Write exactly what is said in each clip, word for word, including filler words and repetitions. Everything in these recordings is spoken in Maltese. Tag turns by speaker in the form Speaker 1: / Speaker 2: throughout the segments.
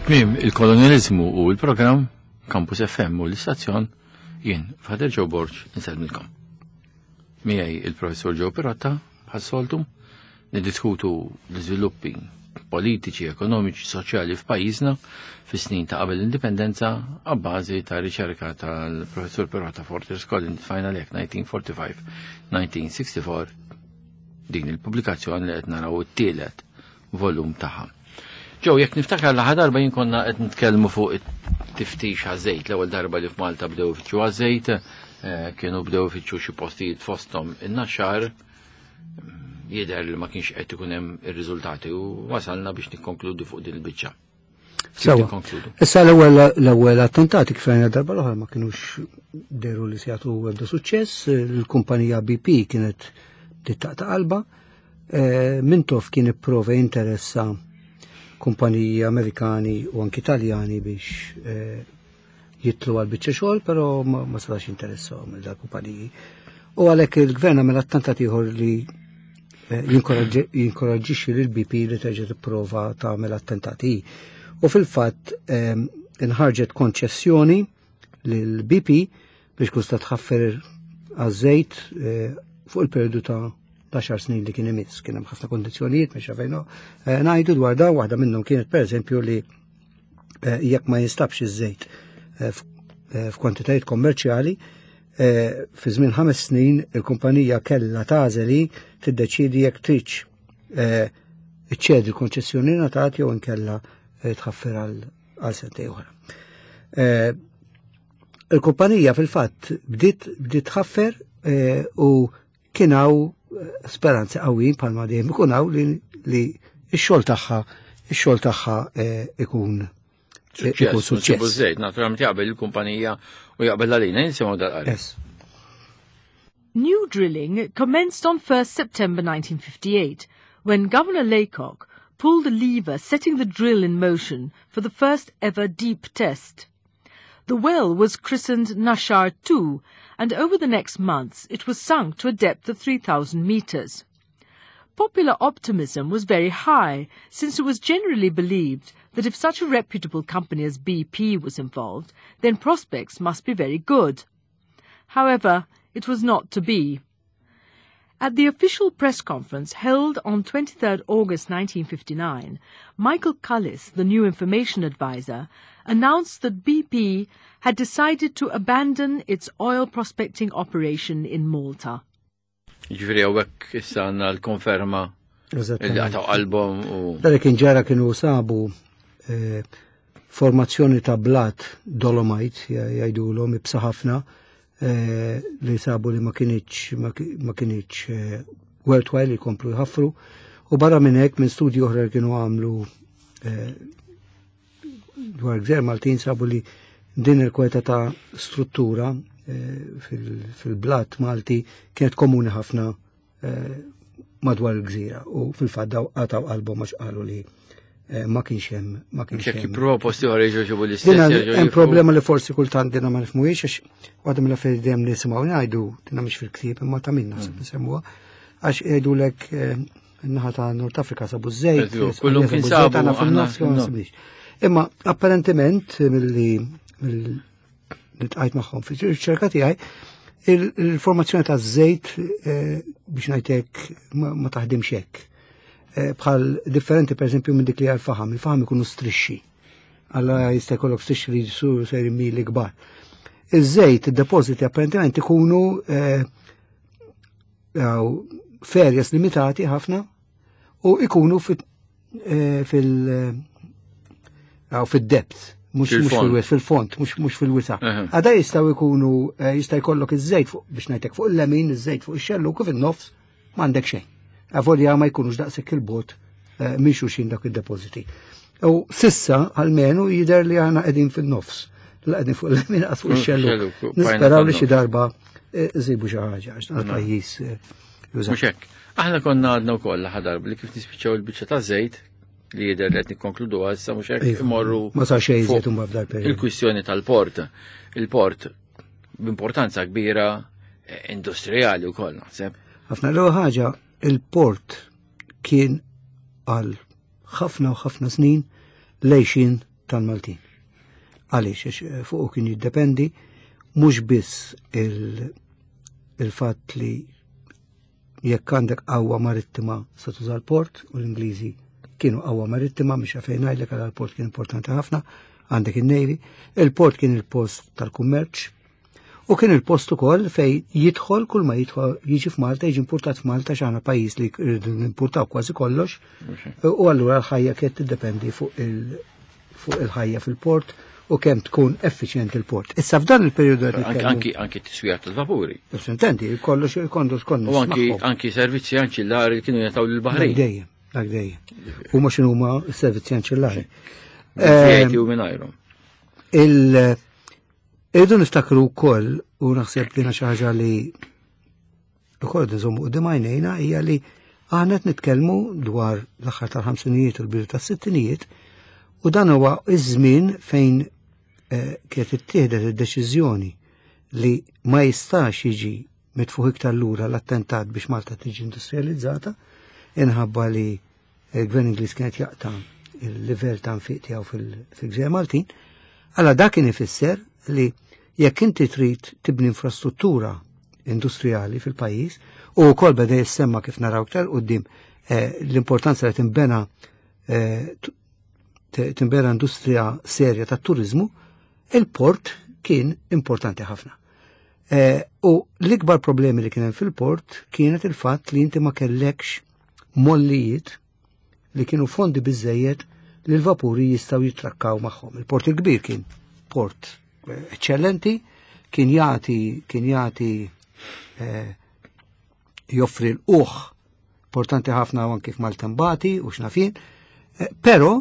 Speaker 1: Tmiem il-kolonializmu u l-programm Campus F M u l-istazzjon, jien, Father Joe Borg, insellmilkom. Miegħi il-professor Joe Pirotta, bħas-soltu, niddiskutu l-iżviluppi politiċi, ekonomiċi, soċjali f'pajjiżna fis-snin ta' qabel l-indipendenza għabbażi ta' riċerka tal-professor Pirotta, Fortress Collins Final Act elf disa' mija erbgħa u ħamsin-elf disa' mija u sitta u erbgħin, din il-pubblikazzjoni li qed naraw it-tielet volum tagħha. Joe, jekk niftakar, l darba jien konna qed nitkellmu fuq it-tiftix għaż-żejt, l-ewwel darba li f'Malta bdew ifittxu għaż-żejt, eh, kienu bdew ifittxu xi postijiet fosthom in-Naxxar, jidher li ma kienx qed ikun hemm ir-riżultati u wasalna biex nikkonkludu fuq din il-biċċa.
Speaker 2: Sewa. Issa l-ewwel l-ewwel attentati, kif għajna darba l-oħra, ma kienux deru li se jagħtu ebda suċċess, il-kumpanija B P kienet tittaqta qalba, eh, Mintoff kien ipprova jinteressa kumpaniji Amerikani u anki Italjani biex eh, jitlu għal biċċa xogħol, però ma, ma setax interessahom il-kumpaniji. U għalhekk il-gvern għamel attentat ieħor li eh, jinkoraġġixxi lil B P li terġa' tipprova tagħmel attentati. U fil-fatt eh, inħarġet konċessjoni lil B P biex kusta tħaffer għaż-żejt fuq il-periodu ta' għaxar snin li kien imiss. Kien hemm ħafna kondizzjonijiet biex fejnu ngħidu dwar da, waħda minnhom kienet, pereżempju, li jekk ma jinstabx iż-żejt f'kwantitajiet kommerċjali, fi żmien ħames snin il-kumpanija kellha tagħżel li tiddeċidi jekk tridx iċċedi l-konċessjoni ngħatat jew inkella tħaffer għal sentejn oħra. Il-kumpanija fil-fatt bdiet bdiet tħaffer u kien hawn speranzi qawwin, bħalma dejjem ikun hawn, li, li x-xogħol tagħha ix-xogħol tagħha ikun
Speaker 1: ikun suċċess. Żejt, naturalment jaqbel il-kumpanija u jaqbel għalina, nisimgħu dal-qari.
Speaker 2: Yes.
Speaker 3: New drilling commenced on first September nineteen fifty-eight when Governor Laycock pulled a lever setting the drill in motion for the first ever deep test. The well was christened Naxxar two, and over the next months it was sunk to a depth of three thousand meters. Popular optimism was very high, since it was generally believed that if such a reputable company as B P was involved, then prospects must be very good. However, it was not to be. At the official press conference held on twenty-third August nineteen fifty-nine, Michael Cullis, the new information advisor, announced that B P had decided to abandon its oil prospecting operation in Malta.
Speaker 1: Ġifieri hawnhekk issa għandna l-konferma li
Speaker 2: Eżattament.
Speaker 1: qataw qalbhom u
Speaker 2: Dak kien ġara, kienu sabu eh, formazzjoni ta' blat dolomite, jgħidulhom, ibsa ħafna, eh, li sabu li ma kinitx ma ki- ma kinitx eh, worthwhile li jkomplu jħaffru, u barra minn hekk, minn studji oħra li kienu għamlu eh, dwar gżejjer Maltin, sabu li din il-kwalità ta' struttura eh, fil- fil-blat Malti kienet komuni ħafna eh, madwar il-gżira, u fil-fatt daw qataw qalbhom għax qalu li eh, ma kienx hemm ma kienx
Speaker 1: jekk
Speaker 2: hemm.
Speaker 1: jippruvaw posti oħra jġu l-istess.
Speaker 2: Dina
Speaker 1: jerġgħu
Speaker 2: hemm
Speaker 1: jifru.
Speaker 2: problema li forsi kultant dina ma nifhmuhiex, għax waħda mill-affarijiet dejjem nisimgħu ngħidu, dina mhix fil-ktieb imma ta' min naħseb nsemmuha, għax jgħidulek eh, in-naħa ta' Nord Afrika sabu żejt,
Speaker 1: Eżju, kullum kien
Speaker 2: sabu żejt,
Speaker 1: sabu,
Speaker 2: aħna
Speaker 1: aħna
Speaker 2: fin-nofs ma
Speaker 1: fin-nofs.
Speaker 2: nsibniex. Imma apparentement milli mill li tqajt magħhom fil-riċerka tiegħi, il- il-formazzjoni ta' żejt, eh, biex ngħidlek, ma ma taħdimx hekk. Eh, Bħal differenti, per eżempju, minn dik li għal-faħam, il-faħam ikunu strixxi. Alla jista' jkollok strixxi li jisur sejri mili kbar. Iż-żejt, id-depożiti apparentement ikunu eh, jew f'areas limitati ħafna u ikunu fit- eh, fil- jew fid-depth, mhux mhux
Speaker 1: Fil-fond.
Speaker 2: fil-wis, fil-fond, mhux mhux fil-wisa.
Speaker 1: Eħe.
Speaker 2: Għada jistgħu jkunu eh, jista' jkollok iż-żejt fuq, biex ngħidlek, fuq il-lemin, iż-żejt fuq ix-xellug, u fin-nofs m'għandek xejn. Avolja ma jkunux daqshekk il-bot eh, minn xulxin dak id-depożiti. U sissa almenu jidher li aħna qegħdin fin-nofs. La qegħdin fuq il-lemin qas fuq ix-xellug.
Speaker 1: Xellug,
Speaker 2: Nisperaw li xi
Speaker 1: fin-nofs.
Speaker 2: darba eh, nsibu xi ħaġa għax dan il-pajjiż eh, juża.
Speaker 1: Mhux hekk. Aħna konna għadna wkoll ħadarb li kif nispiċċaw il-biċċa ta' żejt li jidher li qed nikkonkludu issa, mhux hekk,
Speaker 2: Iva,
Speaker 1: imorru
Speaker 2: ma sar xejn
Speaker 1: fuq
Speaker 2: iżjed imbagħad f'dal periodu.
Speaker 1: il-kwistjoni tal-port. Il-port b'importanza kbira eh, industrijali wkoll, naħseb.
Speaker 2: Ħafna, l ħaġa, il-port kien għal ħafna u ħafna snin lejxin tal-Maltin. Għaliex, għax fuqu kien jiddependi mhux biss il-fatt li jekk għandek qawwa marittima se tuża l-port, u l-Ingliżi kienu qawwa marittima, mhux fejn ngħidlek għal l-port kien importanti ħafna, għandek il-Navy, il-port kien il-post tal-kummerċ, u kien il-post ukoll fej jidħol kull ma jidħol jiġi f'Malta, jiġi importat f'Malta, x'aħna pajjiż li rridu nimportaw kważi kollox, u allura l-ħajja kienet tiddependi fuq il- fuq il-ħajja fil-port u kemm tkun effiċjenti il-port. Issa f'dan il-perjodu qed
Speaker 1: Anki
Speaker 2: nitkellmu.
Speaker 1: anki anki t-tiswija tal-vapuri.
Speaker 2: Intendi, kollox il-kondus konna
Speaker 1: U anki anki servizzi anċillari li kienu jataw
Speaker 2: Dak
Speaker 1: lill-Baħrin.
Speaker 2: dejjem, dak dejjem. Huma x'inhuma s-servizzi anċillari.
Speaker 1: V A T u mingħajrhom.
Speaker 2: Il Irridu niftakru wkoll, u naħseb li xi ħaġa li wkoll nżommu quddiem għajnejna, hija li aħna qed nitkellmu dwar l-aħħar tal-ħamsinijiet u l-bidu tas-sittinijiet, u dan huwa iż-żmien fejn eh, kienet ittieħdet id-deċiżjoni li ma jistax jiġi mitfuħ iktar lura l-attentat biex Malta tiġi industrializzata, inħabba li il-Gvern Ingliż kienet jaqta' il-livell ta' nfiq tiegħu fil-Gżejjer Maltin. Alla dak kien ifisser li jekk inti trid tibni infrastruttura industrijali fil-pajjiż, u wkoll beda jissemma, kif naraw iktar quddiem, eh, l-importanza li timbena eh, t- timbena industrija serja tat turizmu, il-port kien importanti ħafna. Eh, u l-ikbar problemi li kien hemm fil-port kienet il-fatt li inti ma kellekx mollijiet li kienu fondi biżejjed li l-vapuri jistgħu jitrakkaw magħhom. Il-port il-kbir kien port eh, eccellenti, kien jagħti kien jagħti eh, joffri l-uħ importanti ħafna anki f'maltempati u x'naf jien, eh, però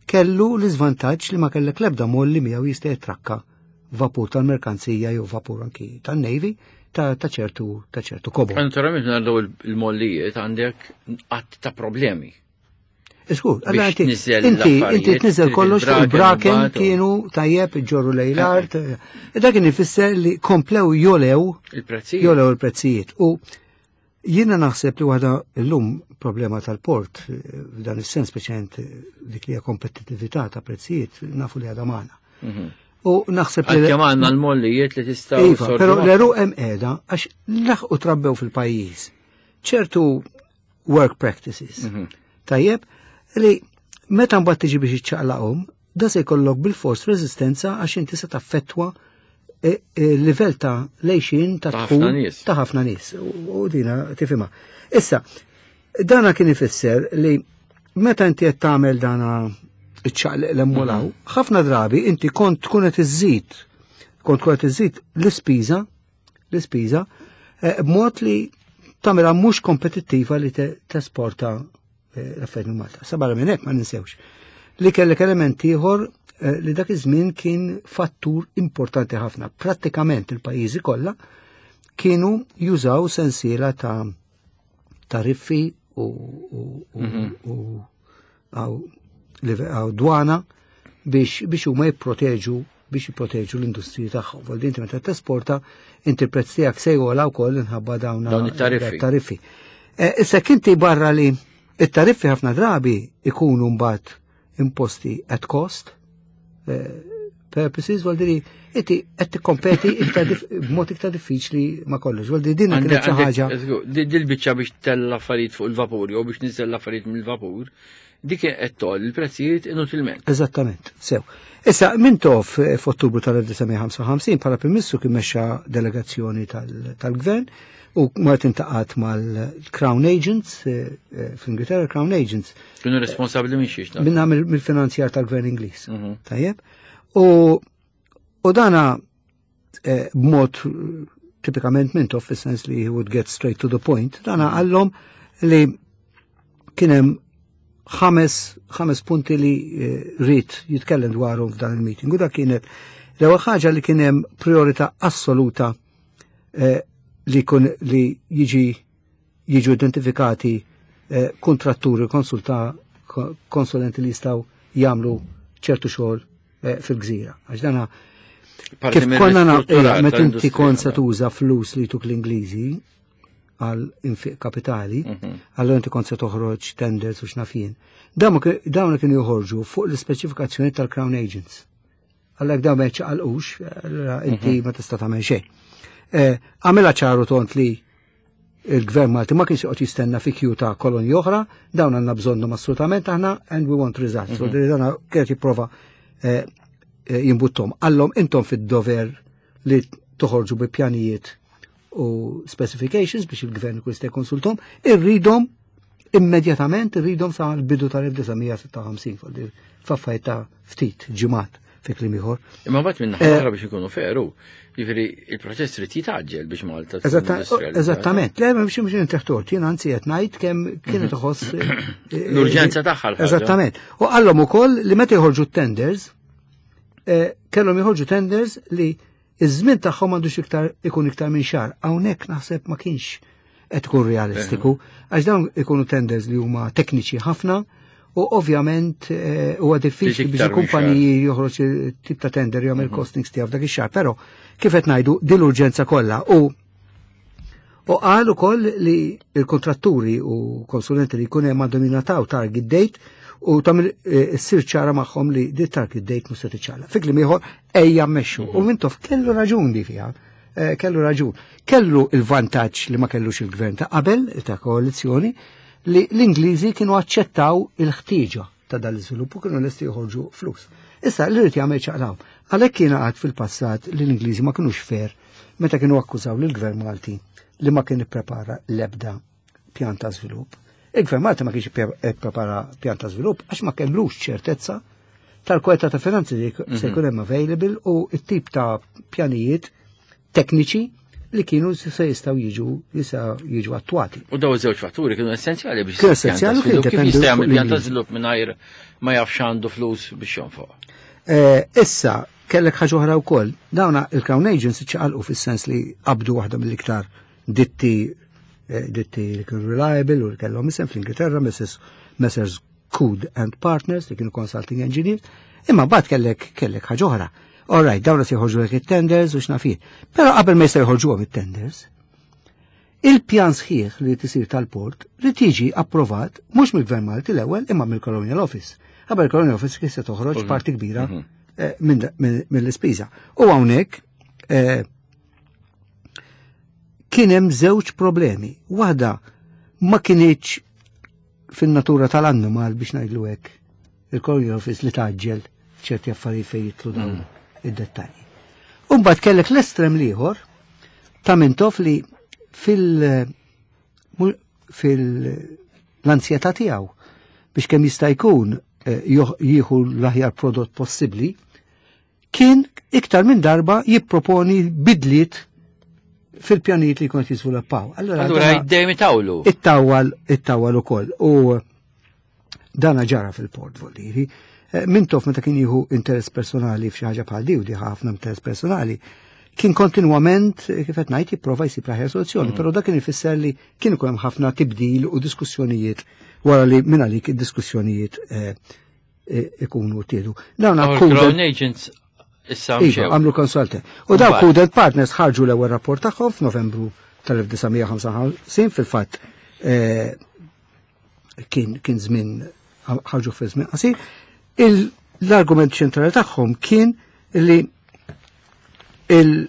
Speaker 2: kellu l-iżvantaġġ li ma kellek lebda molli miegħu jista' jitrakka vapur tal-merkanzija jew vapur anki tan-Navy ta' ta' ċertu ta' ċertu kobor.
Speaker 1: Naturalment nardaw il-mollijiet għandek qatt ta' problemi.
Speaker 2: Iskur, allora
Speaker 1: Biex
Speaker 2: inti
Speaker 1: tniżel
Speaker 2: inti inti
Speaker 1: l-affarijiet,
Speaker 2: tniżel kollox fuq
Speaker 1: il-braken,
Speaker 2: il-braken
Speaker 1: imbagħad u-
Speaker 2: kienu tajjeb iġorru lejn l-art. E dak kien ifisser li komplew jolew
Speaker 1: Il-prezzijiet.
Speaker 2: jolew il-prezzijiet. U jiena naħseb li waħda llum problema tal-port eh, f'dan is-sens, speċjalment eh, dik li hija kompetittività ta' prezzijiet, nafu li għadha magħna.
Speaker 1: Mhm.
Speaker 2: U naħseb li
Speaker 1: Għalkemm għandna l-mollijiet li tistgħu
Speaker 2: Iva, però l-għeruq hemm qiegħda għax laħqu trabbew fil-pajjiż ċertu work practices.
Speaker 1: Mhm.
Speaker 2: Tajjeb, li meta mbagħad tiġi biex iċċaqlaqhom, da se jkollok bil-fors reżistenza għax inti se taffettwa e, e, livell ta' lejxin ta'
Speaker 1: Ta' ħafna
Speaker 2: dħul
Speaker 1: nies.
Speaker 2: ta' ħafna nies. U u dina tifhimha. Issa, dana kien ifisser li meta inti qed tagħmel dana iċċaqliq l-emmolaw, ħafna drabi inti kont tkun qed iżżid kont tkun qed iżżid l-ispiża l-ispiża eh, b'mod li tagħmilha mhux kompetittiva li te- tesporta eh, l-affarijiet minn Malta. Sa barra minn hekk ma ninsewx li kellek element ieħor eh, li dak iż-żmien kien fattur importanti ħafna. Prattikament il-pajjiżi kollha kienu jużaw sensiela ta' tariffi u, u, u, u, għaw, live- għaw dwana biex, biex huma jipproteġu biex jipproteġu l-industriji tagħhom. Vol inti meta tesporta, inti l-prezz tiegħek se jogħla wkoll inħabba dawn
Speaker 1: Dawn it-tariffi.
Speaker 2: tariffi. Eh, Issa kinti barra li it-tariffi ħafna drabi ikunu mbagħad imposti at cost eh, purposes, vuol dire inti qed tikkompeti iktar dif- b'mod iktar diffiċli ma kollox. Vuol dire din kienet xi ħaġa.
Speaker 1: Dil-biċċa biex tella affarijiet fuq il-vapur jew biex niżel l-affarijiet mill-vapur, dik qed toll il-prezzijiet inutilment.
Speaker 2: Eżattament, sew. Issa, Mintoff eh, f'Ottubru tal-elf disa' mija ħamsa u ħamsin bħala Prim Ministru kien mexxa delegazzjoni tal- tal-Gvern u Martin taqat mal-Crown Agents, eh, eh, fl-Ingilterra Crown Agents,
Speaker 1: Kienu responsabbli minn xiex.
Speaker 2: minna mill- mill-finanzjar tal-Gvern Ingliż.
Speaker 1: Mhm.
Speaker 2: Tajjeb? U, u dana eh, b'mod eh, tipikament Mintoff, fis-sens li he would get straight to the point, dana qallhom li kien hemm ħames ħames punti li eh, ried jitkellem dwarhom f'dan il-meeting. U dak kienet l-ewwel ħaġa, li kien hemm priorità assoluta eh, li kun li jiġi jiġu identifikati eh, kontratturi, konsulta, ko- konsulenti li jistgħu jagħmlu ċertu xogħol eh, fil-gżira. Għax dana
Speaker 1: Parti
Speaker 2: kif
Speaker 1: minn
Speaker 2: konna na
Speaker 1: ristrutturar
Speaker 2: eh, meta inti
Speaker 1: tal-industrija.
Speaker 2: kont se tuża flus li tuk l-Ingliżi, għal infiq kapitali, allora inti kont se toħroġ tenders u x'naf jien. Dawn dawn kienu joħorġu fuq l-ispeċifikazzjoni tal-Crown Agents. Għalhekk dawn ma jċaqalqux, allura inti ma tista' tagħmel xejn. Eh, Għamilha ċaru tont li il-gvern Malti ma kienx joqgħod jistenna fi kju ta' kolonji oħra, dawn għandna bżonnhom assolutament aħna and we want results. So dana kienet jipprova eh, eh, jimbuttom. Qallhom intom fid-dover li toħorġu bi pjanijiet u specifications biex il-gvern ikun jista' jkonsultom, irridhom immedjatament irridhom sa l-bidu tal-elf disa' mija sitta u ħamsin, faffajt ta' ftit ġimgħat fi kliem ieħor.
Speaker 1: Imma mbagħad minn
Speaker 2: Eh,
Speaker 1: oħra biex ikunu feru, jiġifieri il-proċess trid jitgħaġġel biex Malta tkun
Speaker 2: Eżatta-
Speaker 1: industrializzata.
Speaker 2: Eżattament, le, mhux mhux intreħtort, jien anzi qed ngħid kemm kienet iħoss eh, eh,
Speaker 1: L-urġenza tagħha l-ħaġa.
Speaker 2: Eżattament. U qallhom ukoll li meta jħorġu tenders, eh, kellhom jħorġu tenders li iż-żmien tagħhom għandux iktar ikun iktar minn xahar. Hawnhekk naħseb ma kienx qed ikun realistiku, għax dawn ikunu tenders li huma tekniċi ħafna u ovvjament eh, huwa diffiċli
Speaker 1: Biex
Speaker 2: biex
Speaker 1: iktar minn
Speaker 2: il-kumpaniji joħroġ tip ta' tender jagħmel costings tiegħu f'dak ix-xahar, però kif qed ngħidu din l-urġenza kollha u U qal ukoll li il-kontratturi u konsulenti li jkun hemm għandhom jingħataw target date u tagħmel eh, issir ċara magħhom li di target date mhux se tiċċaqlaq. Fi kliem ieħor ejja mmexxu. U Mintoff kellu raġun di fiha. Eh, Kellu raġun. Kellu il-vantaġġ li ma kellux il-gvern ta' qabel ta' koalizzjoni li l-Ingliżi kienu aċċettaw il-ħtieġa ta' dal-iżvilupp u kienu lesti joħorġu flus. Issa li rrid jagħmel ċaqlaw. Għalhekk kien għad fil-passat li l-Ingliżi ma kinux fair meta kienu akkużaw lill-gvern Malti li ma kien ipprepara l-ebda pjan ta' żvilupp. Il-gvern Malti ma kienx ipprepara pjan ta' żvilupp għax ma kellux ċertezza tal-kwalità ta' finanzi li se jkun hemm available u t-tip ta' pjanijiet tekniċi li kienu se jistgħu jiġu jistgħu jiġu attwati.
Speaker 1: U daw iż-żewġ fatturi kienu essenzjali biex
Speaker 2: Kienu
Speaker 1: isir pjan ta'
Speaker 2: essenzjali u kienu
Speaker 1: żvilupp. Kif
Speaker 2: jiddependu
Speaker 1: jista' jagħmel
Speaker 2: fuq
Speaker 1: pjan ta'
Speaker 2: l-Ingliżi.
Speaker 1: żvilupp mingħajr ma jafx għandu flus biex jonfoq.
Speaker 2: Eh, Issa, kellek ħaġa oħra wkoll. Dawna il-Crown Agents ċaqalqu fis-sens li qabdu waħda mill-iktar ditti eh, ditti li kienu reliable u li kellhom isem fl-Ingilterra, Messrs. Messrs. Coode and Partners li kienu consulting engineers, imma mbagħad kellek kellek ħaġa oħra. All right, dawna se jħorġu lek it-tenders u x'naf jien. Però qabel ma jista' jħorġuhom it-tenders, il-pjan sħiħ li tisir tal-port li tiġi approvat mhux mill-Gvern Malti l-ewwel imma mill-Colonial Office. Qabel il-Colonial Office kif se toħroġ parti kbira eh, minn- minn- mill-ispiża. U hawnhekk eh, kien hemm żewġ problemi. Waħda ma kinitx fin-natura tal-annimal biex ngħidlu hekk il-Colonial Office li taġġel ċerti affarijiet fejn jidħlu dawn id-dettalji. U mbagħad kellek l-estrem l-ieħor ta' Mintoff li fil- mu- fil-anzjetà tiegħu biex kemm jista' jkun eh, joħ- jieħu l-aħjar prodott possibbli, kien iktar minn darba jipproponi bidliet fil-pjanijiet li kont jiżviluppaw.
Speaker 1: Allura
Speaker 2: dana-
Speaker 1: dejjem itawlu.
Speaker 2: it-tawwal it-tawwal ukoll. U dana ġara fil-port voldiri. Eh, Mintoff meta kien jieħu interess personali f'xi ħaġa bħal di u di ħafna interess personali, kien kontinwament, eh, kif qed ngħid, jipprova jsib l-aħjar soluzzjoni, però dak kien ifisser li kien ikun hemm ħafna tibdil u diskussjonijiet wara li minn għalik id-diskussjonijiet eh, eh, ikunu tiedu. Dawn
Speaker 1: Our
Speaker 2: Coode-
Speaker 1: Crown Agents issa
Speaker 2: Iva,
Speaker 1: mxew.
Speaker 2: għamlu consultant. U daw
Speaker 1: Mbagħad.
Speaker 2: Coode Partners ħarġu l-ewwel rapport tagħhom f'Novembru tal-elf disa' mija ħamsa u ħamsin, fil-fatt eh, kien kien żmien ħarġu fi żmien qasir. Il- L-argument ċentrali tagħhom kien li il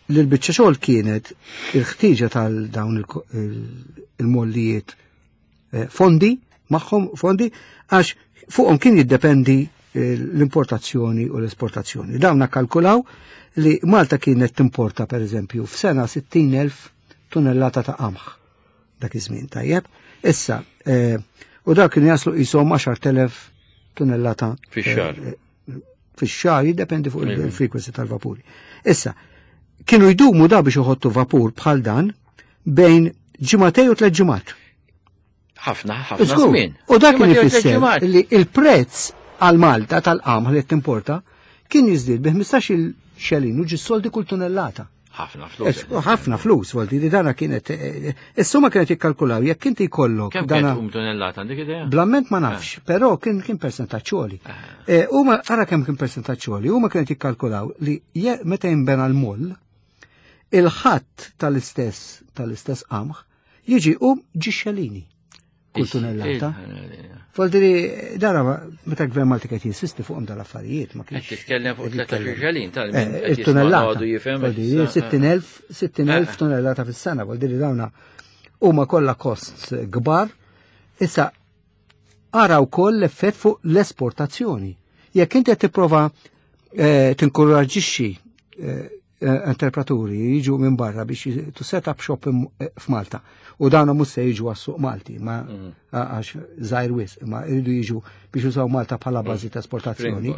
Speaker 2: l-biċċa xogħol kienet il-ħtieġa tal-dawn il-mollijiet eh, fondi magħhom fondi għax fuqhom kien jiddependi eh, l-importazzjoni u l-esportazzjoni. Dawn kalkulaw li Malta kienet timporta per eżempju f'sena sittin elf tunnellata ta' qamħ dak iż-żmien tajjeb. Issa, eh, u dak kienu jaslu qishom għaxart elef tunnellata
Speaker 1: Fix-xahar.
Speaker 2: eh, fix-xahar jiddependi fuq il-frequency tal-vapuri. Issa, kienu jdumu da biex uħottu vapur bħal dan bejn ġimagħtejn u tliet ġimgħat.
Speaker 1: Ħafna, ħafna
Speaker 2: Żgur.
Speaker 1: żmien.
Speaker 2: U dak kien
Speaker 1: Ġimgħatej u tliet
Speaker 2: ifisser
Speaker 1: ġimgħat.
Speaker 2: li il-prezz għal Malta tal-qamħ li timporta kien jiżdied bi ħmistax-il xelin u ġis soldi kull tunnellata.
Speaker 1: Ħafna flus.
Speaker 2: U ħafna flus, volti li dana kienet, eh, is-summa kienet jikkalkulaw, jekk inti jkollok
Speaker 1: Kemm
Speaker 2: dana.
Speaker 1: kienet um tunnellata għandek idea?
Speaker 2: Bl-amment ma nafx, però kien kien percentaġġ għoli. Eh, Huma ara kemm kien percentaġġ għoli, huma kienet jikkalkulaw li je- meta jinbena l-moll, Il-ħatt tal-istess tal-istess qamħ jiġi um ġixxelini kull tunnellata. Voldiri, dara meta gvern Malti qed jinsisti fuqhom dal-affarijiet ma
Speaker 1: Qed
Speaker 2: kienx.
Speaker 1: titkellem fuq tlettax-il xelin tal
Speaker 2: Eh, Il-tunnellata.
Speaker 1: jifhem.
Speaker 2: Voldiri, sittin elf sittin elf tunnellata fis-sena, voldiri dawna huma kollha costs kbar. Issa ara wkoll l-effett fuq l-esportazzjoni. Jekk inti qed tipprova eh, tinkoraġġixxi eh, entrepraturi jiġu minn barra biex to set up shop f'Malta. U dawna mhux se jiġu għas-suq Malti, ma għax żgħir wisq, ma jridu jiġu biex jużaw Malta bħala bażi ta' esportazzjoni.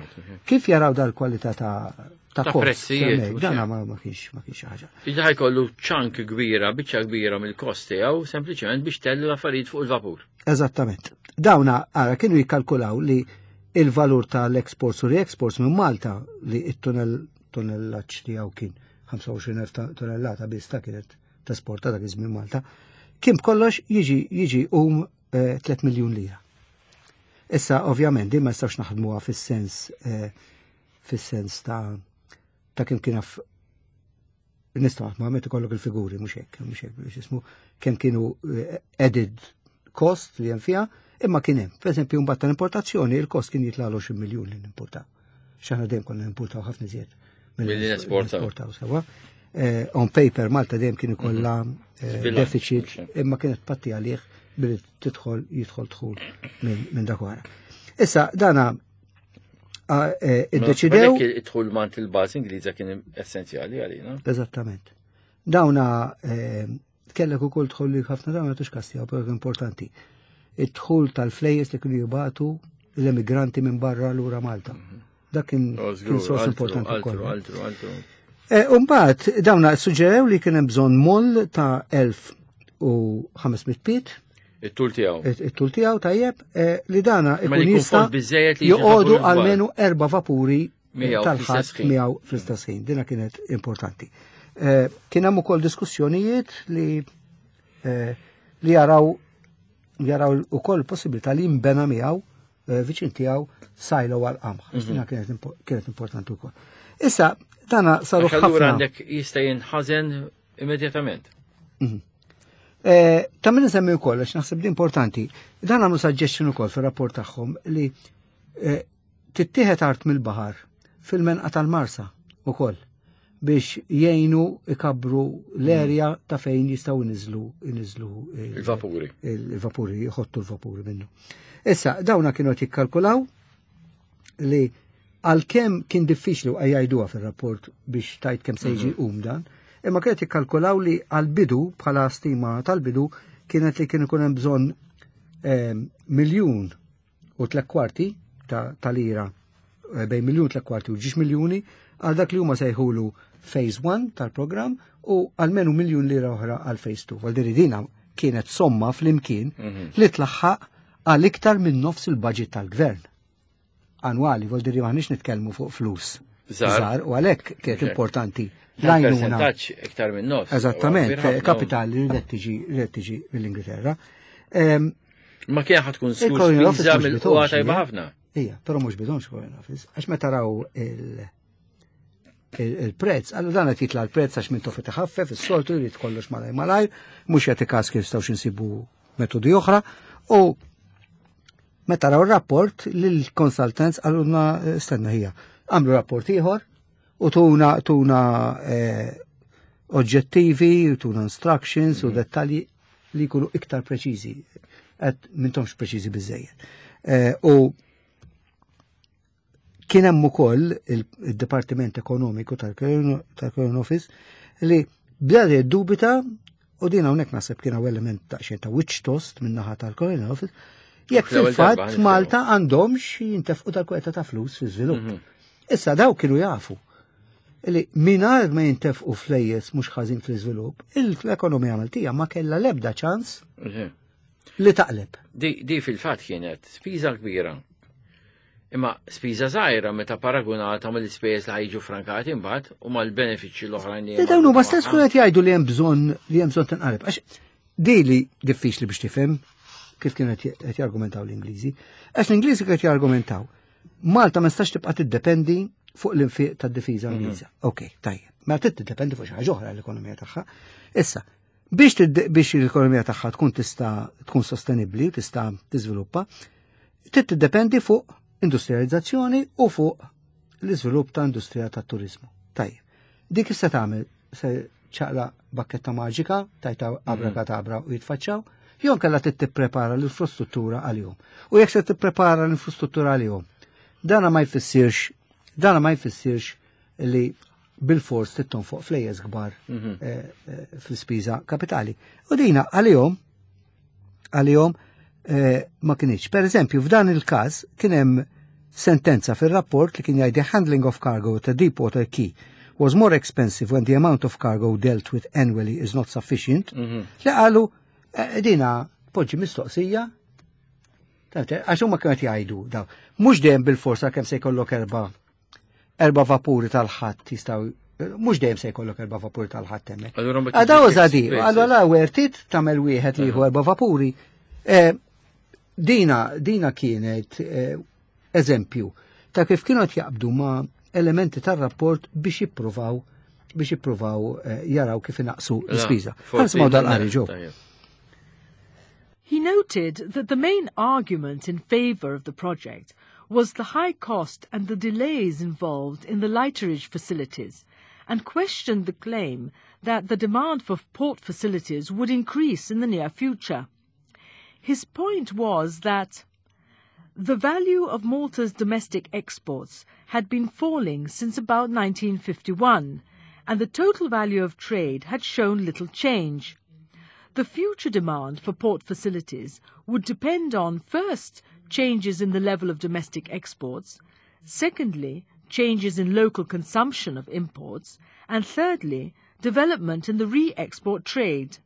Speaker 2: Kif jaraw dal-kwalità ta' ta'
Speaker 1: Ta' prezzijiet,
Speaker 2: Dana ma ma kienx ma kienx ħaġa.
Speaker 1: Iġa ħa jkollu chunk kbira, biċċa kbira mill-kost tiegħu sempliċement biex tellu l-affarijiet fuq il-vapur.
Speaker 2: Eżattament. Dawna ara kienu jikkalkulaw li il-valur tal-exports u re-exports minn Malta li it-tunnel tunnellaġġ tiegħu kien ħamsa u għoxrin elf tonnellata biss ta' kienet tesporta dak iż-żmien Malta, kien b'kollox jiġi jiġi um tliet miljun lira. Issa ovvjament din ma nistax naħdmuha fis-sens eh, fis-sens ta' ta' kemm kien nistgħu naħdmuha meta ikollok il-figuri mhux hekk, mhux hekk biex ismu kemm kienu eh, added cost li hemm fiha, imma kien hemm. Per eżempju, mbagħad tal-importazzjoni il-kost kien jitla għoxrin miljun li nimportaw. X'aħna dejjem konna nimportaw ħafna iżjed
Speaker 1: Milli nesportaw.
Speaker 2: nesportaw sewwa. Eh, on paper Malta dejjem kien ikollha eh,
Speaker 1: Zbilanċ,
Speaker 2: deficit
Speaker 1: mhux
Speaker 2: imma kienet patti għalih billi tidħol jidħol dħul minn min dak wara. Issa dana ah, eh, iddeċidew
Speaker 1: Għalhekk id-dħul mant il-bażi Ingliża kien essenzjali għalina.
Speaker 2: Eżattament. Dawna eh, kellek ukoll dħul li ħafna dawna tux kastija, però importanti. Id-dħul tal-flejjes li kienu jibatu l-emigranti minn barra lura Malta. Dak kien
Speaker 1: Oh,
Speaker 2: kien sors importanti
Speaker 1: Altru,
Speaker 2: wkoll.
Speaker 1: altru, altru.
Speaker 2: Eh, Umbagħad dawna suġġerew li kien hemm bżonn moll ta' elf u ħames mitt pied,
Speaker 1: It-tul tiegħu.
Speaker 2: it-tul tiegħu tajjeb, eh, li dana
Speaker 1: Ma
Speaker 2: ikun
Speaker 1: li jkun
Speaker 2: jista'
Speaker 1: fond biżejjed li jiġi
Speaker 2: joqogħdu
Speaker 1: vapur kbar.
Speaker 2: almenu erba' vapuri
Speaker 1: Miegħu
Speaker 2: tal-ħadd
Speaker 1: fl-istess ħin.
Speaker 2: miegħu fl-istess ħin. Dina kienet importanti. Eh, Kien hemm ukoll diskussjonijiet li eh, li jaraw jaraw ukoll possibilità li jimbena miegħu eh, viċin tiegħu silo għal qamħ.
Speaker 1: Mhm.
Speaker 2: Dina kienet impo- kienet importanti wkoll. Issa dana saru
Speaker 1: Għax allura
Speaker 2: ħafna.
Speaker 1: għandek jista' jinħażen immedjatament.
Speaker 2: Eh, Ta' min nsemmi wkoll għax naħseb di importanti. Dan għamlu suggestion ukoll fir-rapport tagħhom li eh, tittieħed art mill-baħar fil-menqa tal-Marsa ukoll biex jgħinu ikabru l-erja ta' fejn jistgħu iniżlu iniżlu il-
Speaker 1: Il-vapuri.
Speaker 2: il-vapuri, jħottu l-vapuri minnu. Issa, dawna kienu qed jikkalkulaw li għalkemm kien diffiċli u jgħiduha fil-rapport biex tajt kemm se jiġi um dan, imma kienet jikkalkulaw li għal-bidu bħala stima tal-bidu kienet li kien ikun hemm bżonn eh, miljun u tliet kwarti ta' ta' lira eh, bejn miljun tliet kwarti u ġiex miljuni għal dak li huma sejħulu phase one tal-programm u għalmenu miljun lira oħra għal phase two. Għal dina kienet somma fl-imkien li tlaħħaq għal iktar minn nofs il-budget tal-gvern. Annwali, vuol dire maħniex nitkellmu fuq flus.
Speaker 1: Żgħar.
Speaker 2: Żgħar, u għalhekk kienet
Speaker 1: Ok.
Speaker 2: importanti l-għajnuna.
Speaker 1: Percentaġġ iktar minn nofs.
Speaker 2: Eżattament,
Speaker 1: Huwa kbir ħafna.
Speaker 2: kapital li ridet tiġi ridet tiġi mill-Ingilterra. Ehm,
Speaker 1: Ma kien ħad tkun skur
Speaker 2: Il-Colonial Office
Speaker 1: spiża
Speaker 2: mhux
Speaker 1: mill-qwa
Speaker 2: bitomx,
Speaker 1: tajba
Speaker 2: ija.
Speaker 1: ħafna.
Speaker 2: Ija, però mhux bidonx Foreign Office, għax meta raw il- il- il-prezz, għallu dan qed jitla l-prezz għax minn tofi taħaffef, is-soltu jrid kollox malaj malaj, mhux jagħti każ kif jistgħux insibu metodi oħra, u meta raw il-rapport lill-consultants għalluna eh, stenna ħija. Għamlu rapport ieħor u tuna tuna eh, oġġettivi, u tuna instructions u dettalji li jkunu iktar preċiżi. Qed m'intomx preċiżi biżejjed. Eh, U kien hemm ukoll il-Dipartiment Ekonomiku tal-Crown Office li bda dubita u din hawnhekk naħseb kien hawn element ta' xejn ta' witch toast minn naħa tal-Crown Office jekk
Speaker 1: Fl-ewwel darba
Speaker 2: fil-fatt
Speaker 1: ħanifhmu.
Speaker 2: Malta għandhomx jintefqu tal-kweta ta' flus fi żvilupp. Issa daw kienu jafu li mingħajr ma jintefqu flejjes mhux ħażin fl-iżvilupp, l-ekonomija Maltija ma kellha l-ebda ċans li taqleb.
Speaker 1: Di, di fil-fatt kienet spiża kbira. Imma spiża żgħira meta paragunata mal-ispejjeż li ħajġu frankati imbagħad u mal-benefiċċji l-oħrajn li
Speaker 2: Li dawn huma stess kienu qed jgħidu li hemm bżonn li hemm bżonn tinqaleb. Għax di li diffiċli biex tifhem kif kienu qed qed jargumentaw l-Ingliżi. Għax l-Ingliżi qed jargumentaw Malta ma nistax tibqa' tiddependi fuq l-infiq tad-difiża Ingliża. Ok, tajjeb. Ma trid tiddependi fuq xi ħaġa oħra l-ekonomija tagħha. Issa, biex biex l-ekonomija tagħha tkun tista' tkun sostenibbli u tista' tiżviluppa, trid tiddependi fuq industrializzazzjoni u fuq l-iżvilupp ta' industrija tat-turizmu. Tajjeb. Dik issa tagħmel se ċaqla bakketta maġika, tajta abrakadabra u jitfaċċaw, jew kellha trid tipprepara l-infrastruttura għalihom. U jekk se tipprepara l-infrastruttura għalihom, dana ma jfissirx, dana ma jfissirx li bil-fors trid tonfoq flejjes kbar mhm. eh, eh, fl-ispiża kapitali. U dina għalihom għalihom eh, ma kienx. Per eżempju, f'dan il-każ kien hemm sentenza fil-rapport li kien jgħid "The handling of cargo at a deep water quay was more expensive when the amount of cargo dealt with annually is not sufficient." Mhm. Li qalu dina poġġi mistoqsija. Għax huma kienu jgħidu daw. Mhux dejjem bil-forsa kemm se jkollok erba' erba' vapuri tal-ħatt jistgħu, mhux dejjem se jkollok erba' vapuri tal-ħatt hemmhekk. Għadaw żadi, allura worth it tagħmel wieħed li jieħu erba' vapuri. Eh, dina dina kienet eh, eżempju ta' kif kienu qed jaqbdu ma' elementi tar-rapport biex jippruvaw biex jippruvaw eh, jaraw kif inaqsu l-ispiża. Ħa nisimgħu dal-qari, Joe.
Speaker 3: He noted that the main argument in favour of the project was the high cost and the delays involved in the lighterage facilities, and questioned the claim that the demand for port facilities would increase in the near future. His point was that the value of Malta's domestic exports had been falling since about nineteen fifty-one, and the total value of trade had shown little change. The future demand for port facilities would depend on, first, changes in the level of domestic exports, secondly, changes in local consumption of imports, and thirdly, development in the re-export trade.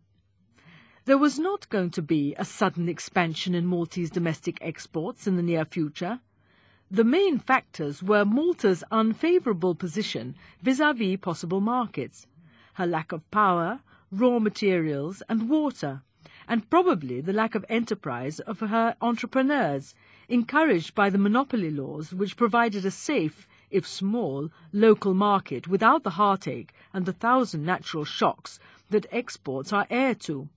Speaker 3: There was not going to be a sudden expansion in Maltese domestic exports in the near future. The main factors were Malta's unfavourable position vis-à-vis possible markets, her lack of power, raw materials and water, and probably the lack of enterprise of her entrepreneurs, encouraged by the monopoly laws which provided a safe, if small, local market without the heartache and the thousand natural shocks that exports are heir to.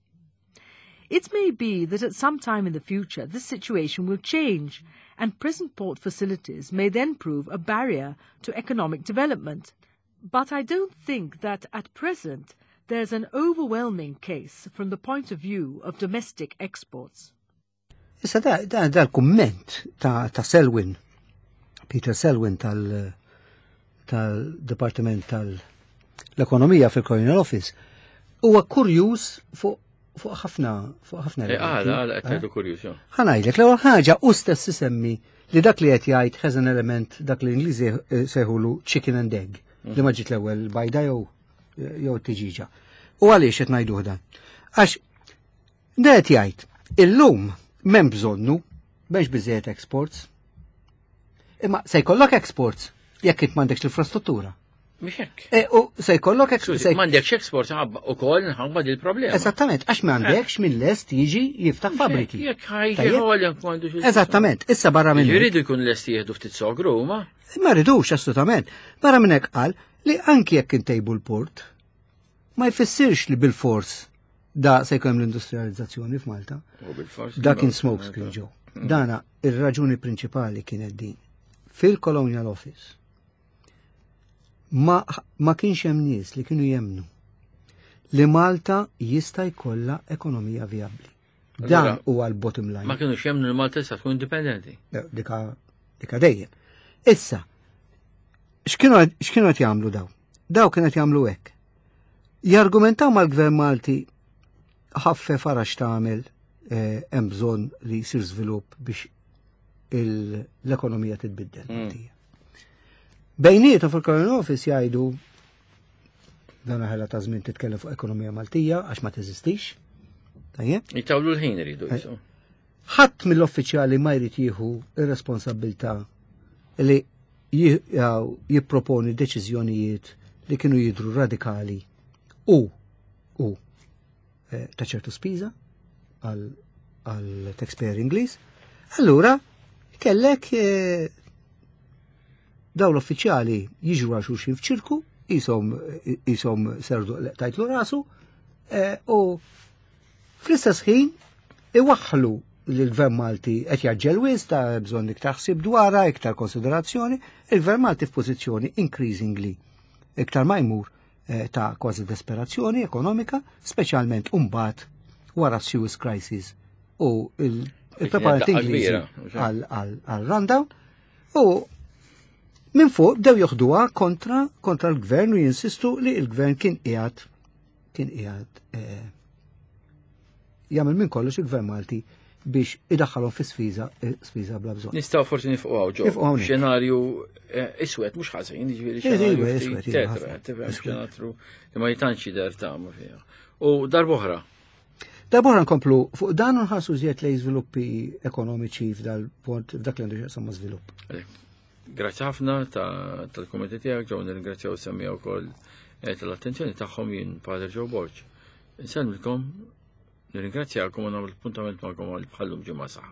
Speaker 3: It may be that at some time in the future this situation will change, and present port facilities may then prove a barrier to economic development. But I don't think that at present there's an overwhelming case from the point of view of domestic exports.
Speaker 2: Issa da, da, da l-kumment ta', ta Selwyn, Peter Selwyn tal- tal-Departiment tal-Ekonomija fil-Colonial Office, huwa kurjuż fuq fuq ħafna fuq ħafna
Speaker 1: eh, Għala, għala, qed tgħidu kurjuż.
Speaker 2: Ħa ngħidlek, l-ewwel ħaġa u stess isemmi li dak li qed jgħid has an element dak li l-Ingliżi sejħulu chicken and egg, li ma ġiet l-ewwel bajda jew jew tiġiġa. U għaliex qed ngħidu dan? Għax qed jgħid illum m'hemm bżonnu biex biżejjed exports. Imma se jkollok exports jekk int m'għandekx l-infrastruttura.
Speaker 1: Mhux hekk.
Speaker 2: E, u se jkollok
Speaker 1: exports. M'għandekx exports ukoll nħabba dil-problema.
Speaker 2: Eżattament, għax m'għandekx min lest jiġi jiftaħ fabbriki.
Speaker 1: Jekk ħajġi.
Speaker 2: Eżattament, issa barra minn.
Speaker 1: Jridu jkun lesti jieħdu ftit sogru huma.
Speaker 2: Ma rridux assolutament. Barra minn hekk qal li anki jekk intejbu l-port, ma jfissirx li bil-fors da se jkun l-industrializzazzjoni f'Malta. Da kien smoke screen, Joe. Mm. Dana ir-raġuni prinċipali kienet din. Fil-Colonial Office ma, ma kienx hemm nies li kienu jemnu li Malta jista' jkollha ekonomija vijabbli. Dan huwa l-bottom line.
Speaker 1: Ma kienu jemnu li Malta tista' tkun indipendenti.
Speaker 2: Dika dika dejjem. Issa, x'kienu qed jagħmlu daw? Daw kienu qed jagħmlu hekk. Jargumentaw mal-Gvern Malti ħaffef ara x'tagħmel, eh, hemm bżonn li jsir żvilupp biex l-ekonomija titbiddel. Mm. Bejnietu fil-Colonial Office jgħidu dan ħela ta' żmien titkellem fuq ekonomija Maltija għax ma teżistix.
Speaker 1: Tajjeb? Jitawlu l-ħin iridu jisu.
Speaker 2: Ħadd mill-uffiċjali ma jrid jieħu ir-responsabilità li jipproponi deċiżjonijiet li kienu jidru radikali u u eh, ta' ċertu spiża għal għal taxpayer Ingliż. Allura kellek eh, daw l-uffiċjali jiġu għal xulxin f'ċirku Isom isom serdu tajtlu rasu eh, u fl-istess ħin iwaħħlu li l-Gvern Malti qed jaġġel wisq ta' bżonn iktar ħsieb dwarha, iktar konsiderazzjoni, il-Gvern Malti f'pożizzjoni increasingly iktar ma jmur eh, ta' kważi desperazzjoni ekonomika, speċjalment imbagħad wara Suez Crisis u il-preparanti Ingliżi għal rundown u minn fuq bdew joħduha kontra kontra l-gvern u jinsistu li l-gvern kien qiegħed kien qiegħed eh, jagħmel minn kollox il-gvern Malti biex idaħħalhom fi sfiża sfiża bla bżonn.
Speaker 1: Nistgħu forsi nifqu hawn ġo. Xenarju eh, iswed mhux ħażin, jiġifieri xenarju iswed, tetra, tifhem xenatru li ma jitantx jidher tagħma fiha. U darb'oħra.
Speaker 2: Darb'oħra nkomplu fuq dan u nħarsu żjed lejn żviluppi ekonomiċi f'dal-punt f'dak li għandu x'jaqsam ma' żvilupp.
Speaker 1: Grazzi ħafna tal-kummenti tiegħek ġew nirringrazzjaw semmiha wkoll eh, tal-attenzjoni tagħhom jien Pater Joe Borg. Insellmilkom, nirringrazzjakom u nagħmel appuntament magħkom għal bħallum ġimgħa saħ.